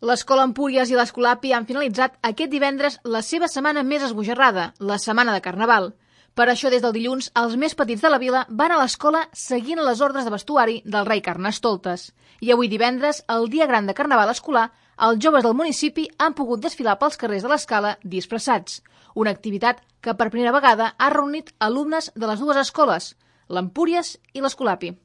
L'Escola Empúries i l'Escolapi han finalitzat aquest divendres la seva setmana més esbojarrada, la setmana de Carnaval. Per això, des del dilluns, els més petits de la vila van a l'escola seguint les ordres de vestuari del rei Carnestoltes. I avui divendres, el dia gran de Carnaval escolar, els joves del municipi han pogut desfilar pels carrers de l'Escala disfressats. Una activitat que per primera vegada ha reunit alumnes de les dues escoles, l'Empúries i l'Escolapi.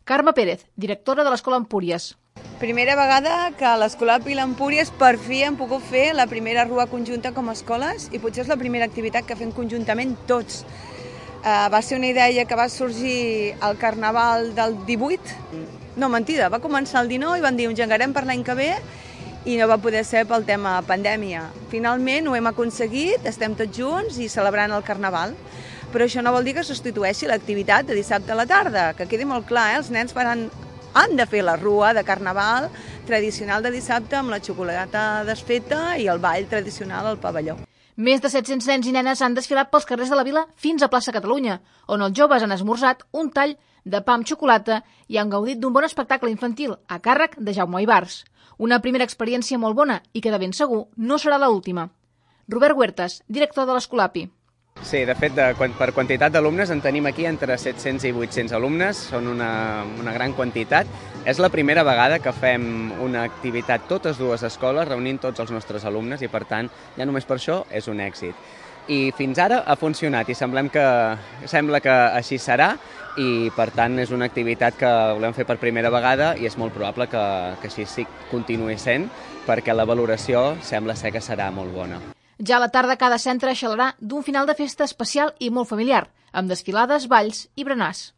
Carme Pérez, directora de l'Escola Empúries. Primera vegada que l'Escolapi i l'Empúries per fi hem pogut fer la primera rua conjunta com a escoles i potser és la primera activitat que fem conjuntament tots. Va ser una idea que va sorgir al Carnaval del 18. No, mentida, va començar el 19 i van dir engegarem per l'any que ve i no va poder ser pel tema pandèmia. Finalment ho hem aconseguit, estem tots junts i celebrant el Carnaval. Però això no vol dir que substitueixi l'activitat de dissabte a la tarda, que quedi molt clar, els nens han de fer la rua de Carnaval tradicional de dissabte amb la xocolata desfeta i el ball tradicional al pavelló. Més de 700 nens i nenes han desfilat pels carrers de la vila fins a plaça Catalunya, on els joves han esmorzat un tall de pa amb xocolata i han gaudit d'un bon espectacle infantil a càrrec de Jaume Ibars. Una primera experiència molt bona i que de ben segur no serà l'última. Robert Huertas, director de l'Escolapi. Sí, de fet, per quantitat d'alumnes en tenim aquí entre 700 i 800 alumnes, són una gran quantitat. És la primera vegada que fem una activitat totes dues escoles reunint tots els nostres alumnes i, per tant, ja només per això és un èxit. I fins ara ha funcionat i sembla que així serà i, per tant, és una activitat que volem fer per primera vegada i és molt probable que així sí continuï sent perquè la valoració sembla ser que serà molt bona. Ja a la tarda cada centre xalarà d'un final de festa especial i molt familiar, amb desfilades, balls i berenars.